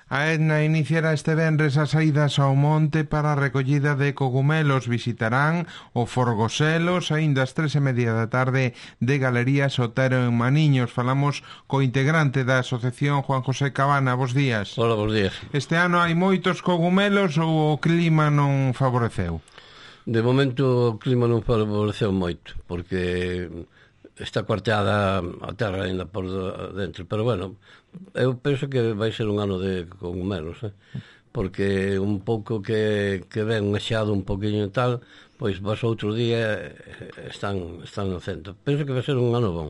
A Etna iniciará este venres as saídas ao monte para a recollida de cogumelos. Visitarán o Forgoselos aínda ás 3:30 da tarde de Galería Sotero en Maniños. Falamos co integrante da asociación, Juan José Cabana. Bos días. Hola, bos días. Este ano hai moitos cogumelos ou o clima non favoreceu? De momento o clima non favoreceu moito, porque está cuarteada a terra ainda por dentro, pero bueno, eu penso que vai ser un ano de cogumelos, porque un pouco que ven un xeado un poquinho e tal, pois vas outro día están no centro. Penso que vai ser un ano bon.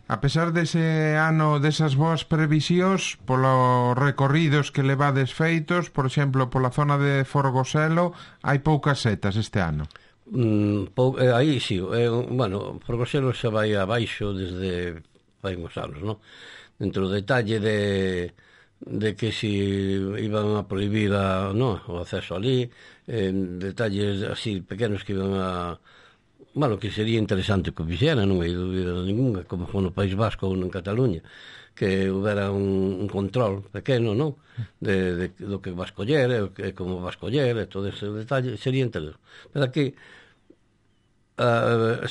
A pesar dese ano, desas boas previsións, polos recorridos que levades feitos, por exemplo, pola zona de Forgoselo, hai poucas setas este ano. Aí sí, bueno, Forgoselo xa vai abaixo desde fai uns anos, non? Dentro do detalle de que si iban a prohibir o acceso ali, detalles así pequenos que iban a... Bueno, que sería interesante que o fixera, non hai dúbida ninguna, como foi no País Vasco ou en Cataluña, que houbera un control pequeno, non? Do que vas coller, e como vas coller, e todo ese detalle, sería interesante. Pero aquí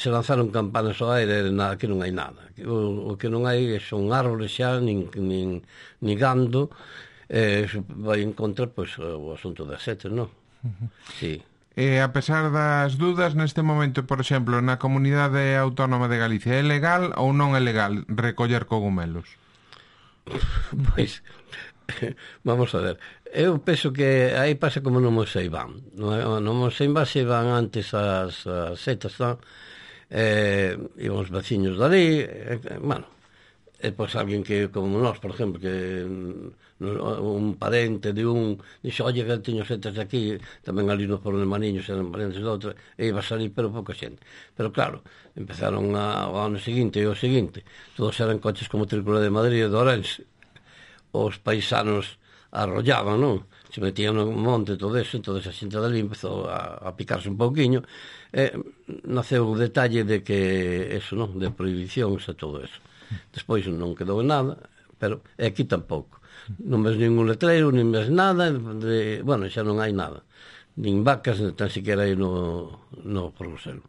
se lanzaron campanas ao aire, que non hai nada. O que non hai son árboles xa, nin gando, vai en contra, pois, o asunto das setas, non? Sí. E a pesar das dudas, neste momento, por exemplo, na Comunidade Autónoma de Galicia, é legal ou non é legal recoller cogumelos? Pois, vamos a ver. Eu penso que aí pasa como no Moseiván. No Moseiván se van antes as setas, e os veciños dali, bueno, e pois alguén que, como nós, por exemplo, que un parente de dixo, oye, que teño setas aquí, tamén ali no Foro de Maniños eran parentes de outra, e iba a salir, pero pouca xente. Pero claro, empezaron ao ano seguinte e o seguinte, todos eran coches como Trícola de Madrid e de Ourense. Os paisanos arrollaban, non? Se metían no monte, todo eso, entón a xente dali empezou a picarse un pouquiño, e naceu o detalle de que eso, non? De prohibicións e todo eso. Despois non quedou en nada, pero aquí tampouco. Non ves ningún letreiro, nin ves nada, bueno, xa non hai nada. Nin vacas, nin tan siquiera hai no Forgoselo.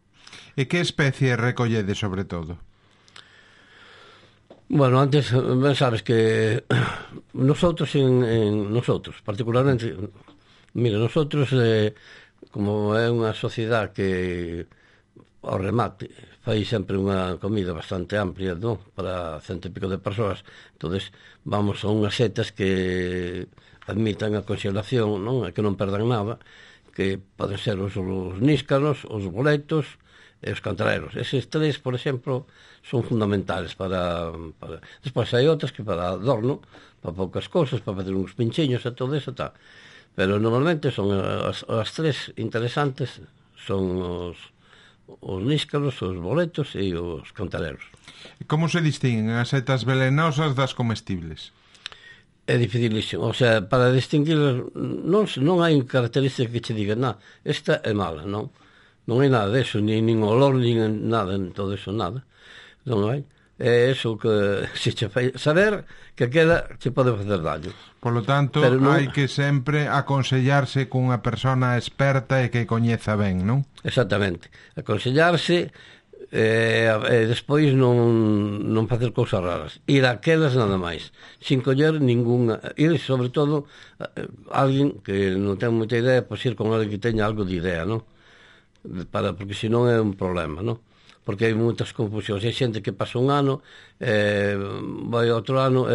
E que especie recollede, sobre todo? Bueno, antes, ben sabes que nosotros, particularmente, mira, nosotros, como é unha sociedade que ao remate fai sempre unha comida bastante amplia, non? Para 100 e pico de persoas, entonces vamos a unhas setas que admitan a congelación, non? E que non perdan nada, que poden ser os níscaros, os boletos e os cantareros. Eses tres, por exemplo, son fundamentales para... Despois hai outras que para adorno, para poucas cousas, para fazer uns pinchiños e todo eso, tal. Pero normalmente son as tres interesantes, son os níscaros, os boletos e os cantareros. Como se distinguen as setas velenosas das comestibles? É dificilísimo, o sea, para distinguir non hai característica que che diga, esta é mala, non hai nada deso, nin olor, nin nada, todo eso, nada, non hai. É eso que se che fai saber que queda che pode facer daño. Polo tanto, hai que sempre aconsellarse cunha persona experta e que coñeza ben, non? Exactamente, aconsellarse e despois non facer cousas raras, ir aquelas nada máis, sin coller ninguna, ir sobre todo alguén que non ten moita idea, pois ir con alguén que teña algo de idea, non? Porque senón é un problema, non? Porque hai moitas confusións, hai xente que pasa un ano, vai outro ano,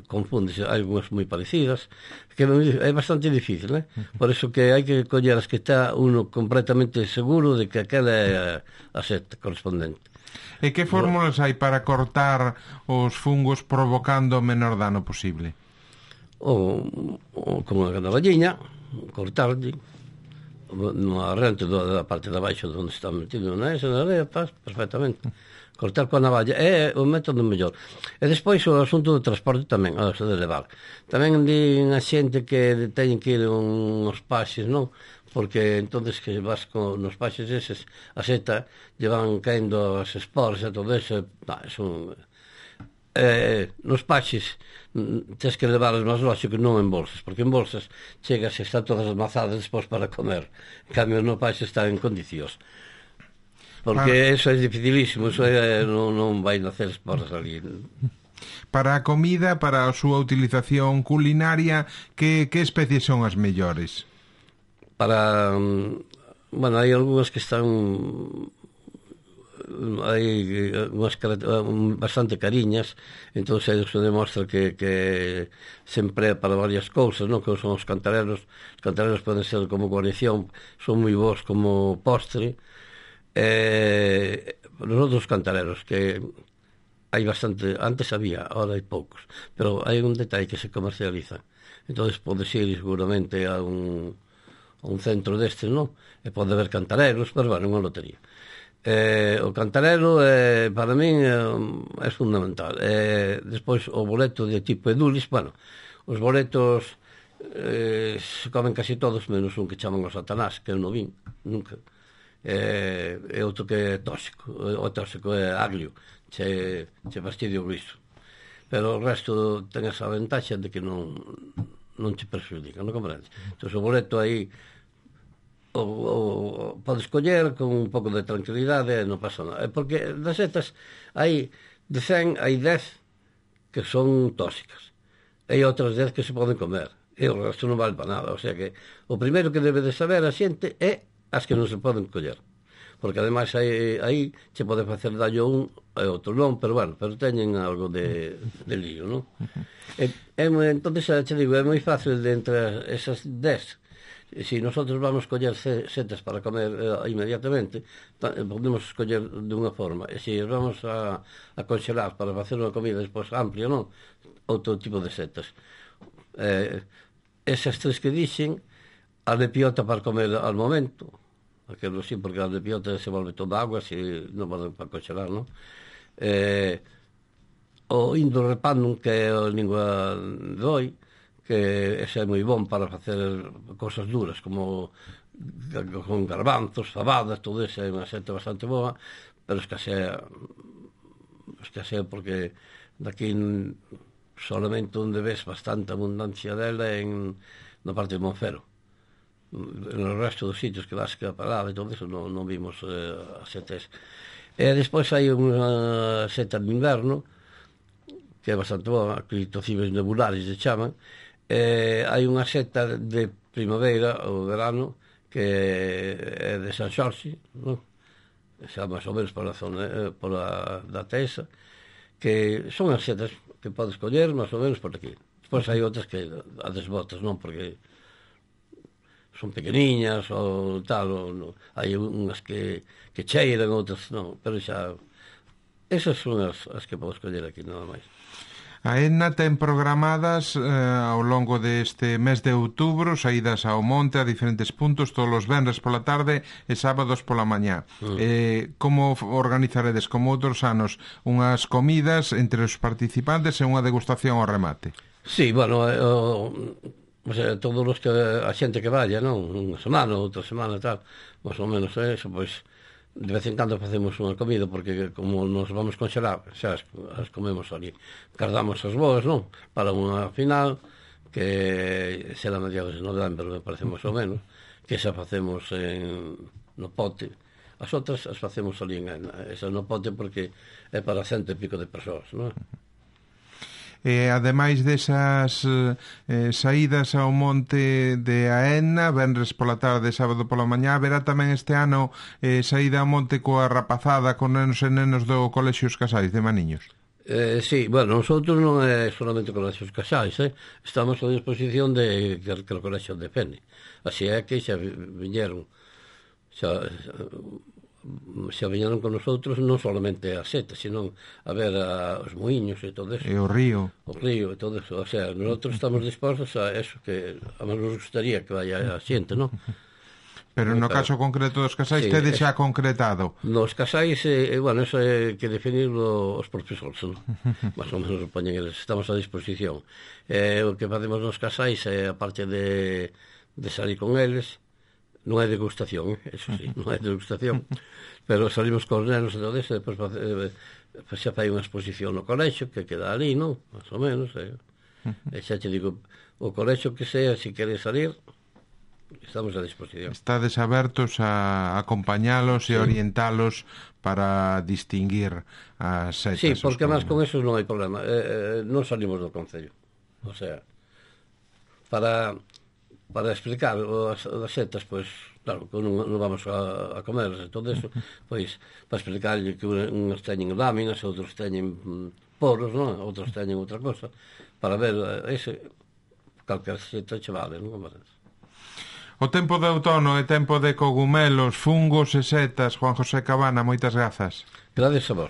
confúndese, hai algunhas moi parecidas, que é bastante difícil, né? Por iso que hai que coller as que está uno completamente seguro de que aquela é a seta correspondente. E que fórmulas hai para cortar os fungos provocando o menor dano posible? Como a navalliña, cortarlle no arrente da parte de abaixo onde está metido na area, perfectamente. Cortar coa navalla é o método mellor. E despois o asunto do transporte tamén, de levar. Tamén din a xente que teñen que ir uns paxes, non? Porque entonces que vas nos paxes eses, a seta lle van caendo as esporas e todo eso, Nos paxes tens que levar as máis lógico non en bolsas, porque en bolsas chegas e están todas amazadas despois para comer. En cambio no paxe está en condicións, porque eso é dificilísimo, eso non vai nacer esporas ali. Para a comida, para a súa utilización culinaria, que especies son as mellores? Para bueno, hai algunhas que están hai unhas bastante cariñas, entón se demostra que se emplea para varias cousas, non? Que son os cantarelos poden ser como guarnición, son moi bons como postre. Os outros cantarelos que hai bastante, antes había, ahora hai poucos, pero hai un detalle que se comercializa, entón podes ir seguramente a un centro destes, non? E pode haber cantarelos, pero bueno, unha lotería. O cantarelo para min é fundamental. Despois o boleto de tipo edulis, bueno, os boletos se comen casi todos menos un que chaman o satanás, que eu non vin nunca, e outro que é tóxico, o tóxico é aglio, che fastidio o guiso, pero o resto ten esa ventaxa de que non che perxudica, non comprendes? Entón o boleto aí o podes coller con un pouco de tranquilidade, non pasa nada, porque das setas hai de 100 hai 10 que son tóxicas, hai outras 10 que se poden comer, e o resto non vale para nada. O sea que o primeiro que debe de saber a xente é as que non se poden coller, porque ademais aí che pode facer dallo un e outro non, pero bueno, pero teñen algo de lío, non? Entón, che digo, é moi fácil de entre esas 10. Se nosotros vamos coller setas para comer inmediatamente, podemos escoller de unha forma, e se vamos a conxelar para facer unha comida despois amplia, non? Outro tipo de setas. Esas tres que dixen, a de piota para comer al momento, aquilo sí, porque a de piota se volve toda agua, se non poden para conxelar, non? O indorepannum, que é a lingua de oi, que ese é moi bon para facer cosas duras, como con garbanzos, fabadas, todo eso é unha seta bastante boa, pero escasea porque daqui solamente onde ves bastante abundancia dela na parte de Monfero. No resto dos sitios que vas que a parada e todo eso non vimos as setas. E despois hai unha seta de inverno que é bastante boa, clitocibes nebulares se chaman. Hai unha seta de primavera ou verano que é de San Xorxe, non? Xa máis ou menos pola zona da Tesa, que son as setas que podes coller máis ou menos por aquí. Despois hai outras que a desbotas, non? Porque son pequeniñas ou tal, hai unhas que cheiran, outras non, pero xa esas son as que podes coller aquí, nada máis. A ENA ten programadas ao longo deste mes de outubro saídas ao monte a diferentes puntos todos os venres pola tarde e sábados pola mañá. Como organizaredes, como outros anos, unhas comidas entre os participantes e unha degustación ao remate? Sí, bueno, o sea, todos os que a xente que vaya, non? Unha semana, outra semana, tal, máis ou menos eso, pois de vez en cando facemos unha comida, porque como nos vamos conxelar, xa as comemos ali, cardamos as boas, non? Para unha final que será a mediados de novembro, me parece máis ou menos, que xa facemos no pote. As outras as facemos ali esa no pote porque é para 100 e pico de persoas, non? Ademais desas saídas ao monte de Aena, venres pola tarde, sábado pola mañá, haberá tamén este ano saída ao monte coa rapazada, con nenos e nenos do Colexio Os Casais de Maniños. Sí, bueno, nosotros non é solamente o Colexio Os Casais, estamos a disposición que o Colexio de Fene, así é que xa viñeron con nosotros non solamente a seta, sino a ver os muiños e todo eso. E o río e todo eso. O sea, nosotros estamos dispostos a eso, que a nos gustaría que vaya a xente, non? Pero no caso concreto dos casais, sí, tedes xa concretado? Nos casais, bueno, eso é que definirlo os profesores, non? Más ou menos poñen eles, estamos a disposición. O que facemos nos casais é, a parte de salir con eles, non é degustación, eso sí, non é degustación, pero salimos cos nenos e todo eso, depois Pois xa fai unha exposición no colexo que queda ali, non? Más ou menos, e xa te digo, o colexo que sea, se queres salir, estamos a disposición. Estades abertos a acompañalos e orientalos para distinguir as setas. Sí, porque máis con eso non hai problema. Non salimos do Concello. O sea, para explicar as setas, pois, claro, que non vamos a comerlas e todo eso, pois, para explicarlle que uns teñen láminas, outros teñen poros, non? Outros teñen outra cosa, para ver calquer seta che vale, non? O tempo de outono e tempo de cogumelos, fungos e setas. Juan José Cabana, moitas grazas. Gracias a vos.